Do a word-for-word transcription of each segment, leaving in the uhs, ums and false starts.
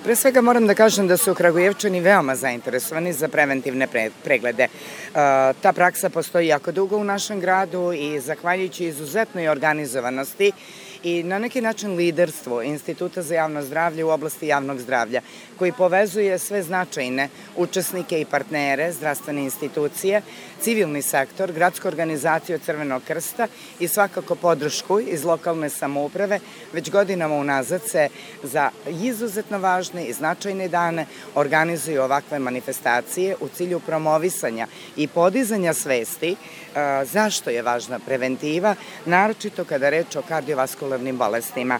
Pre svega moram da kažem da su Kragujevčani veoma zainteresovani za preventivne preglede. Ta praksa postoji jako dugo u našem gradu i zahvaljujući izuzetnoj organizovanosti i na neki način liderstvo Instituta za javno zdravlje u oblasti javnog zdravlja, koji povezuje sve značajne učesnike i partnere, zdravstvene institucije, civilni sektor, gradsku organizaciju Crvenog krsta i svakako podršku iz lokalne samouprave, već godinama unazad se za izuzetno važne i značajne dane organizuju ovakve manifestacije u cilju promovisanja i podizanja svesti zašto je važna preventiva, naročito kada reč o kardiovaskularnim bolestima.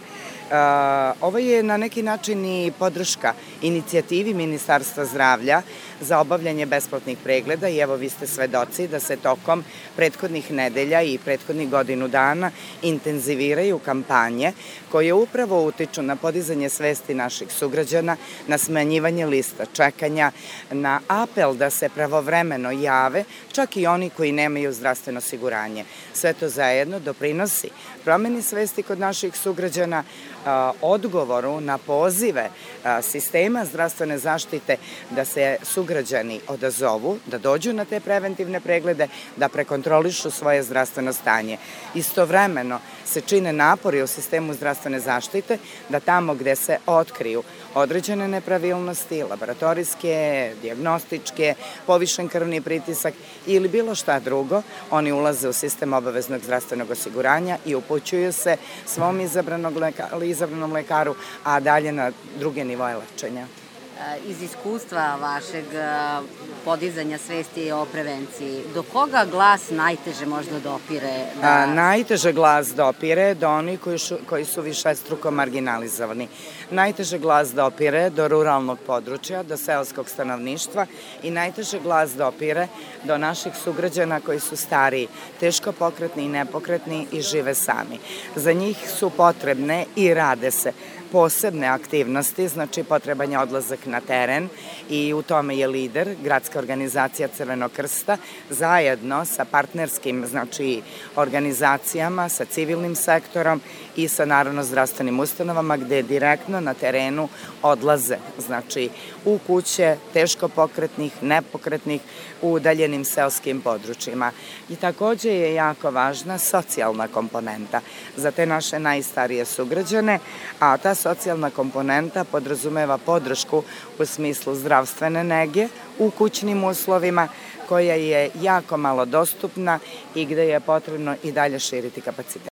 Ovo je na neki način i podrška inicijativi Ministarstva zdravlja za obavljanje besplatnih pregleda i evo vi ste svedoci da se tokom prethodnih nedelja i prethodnih godinu dana intenziviraju kampanje koje upravo utiču na podizanje svesti naših sugrađana, na smanjivanje lista čekanja, na apel da se pravovremeno jave, čak i oni koji nemaju zdravstveno osiguranje. Sve to zajedno doprinosi promeni svesti kod naših sugrađana, odgovoru na pozive sistema zdravstvene zaštite da se sugrađani odazovu, da dođu na te preventivne preglede, da prekontrolišu svoje zdravstveno stanje. Istovremeno se čine napori u sistemu zdravstvene zaštite da tamo gde se otkriju određene nepravilnosti, laboratorijske, dijagnostičke, povišen krvni pritisak ili bilo šta drugo, oni ulaze u sistem obaveznog zdravstvenog osiguranja i upućuju se svom izabranom lekaru, a dalje na druge nivoje lečenja. Iz iskustva vašeg podizanja svesti o prevenciji, do koga glas najteže možda dopire? Najteže glas dopire do onih koji su višestruko marginalizovani. Najteže glas dopire do ruralnog područja, do seoskog stanovništva i najteže glas dopire do naših sugrađana koji su stariji, teško pokretni i nepokretni i žive sami. Za njih su potrebne i rade se posebne aktivnosti, znači potreban je odlazak na teren i u tome je lider gradska organizacija Crvenog krsta zajedno sa partnerskim znači organizacijama, sa civilnim sektorom i sa naravno zdravstvenim ustanovama gde direktno na terenu odlaze, znači u kuće teško pokretnih, nepokretnih, u udaljenim seoskim područjima. I takođe je jako važna socijalna komponenta za te naše najstarije sugrađane, a ta socijalna komponenta podrazumeva podršku u smislu zdravstvene nege u kućnim uslovima koja je jako malo dostupna i gde je potrebno i dalje širiti kapacitet.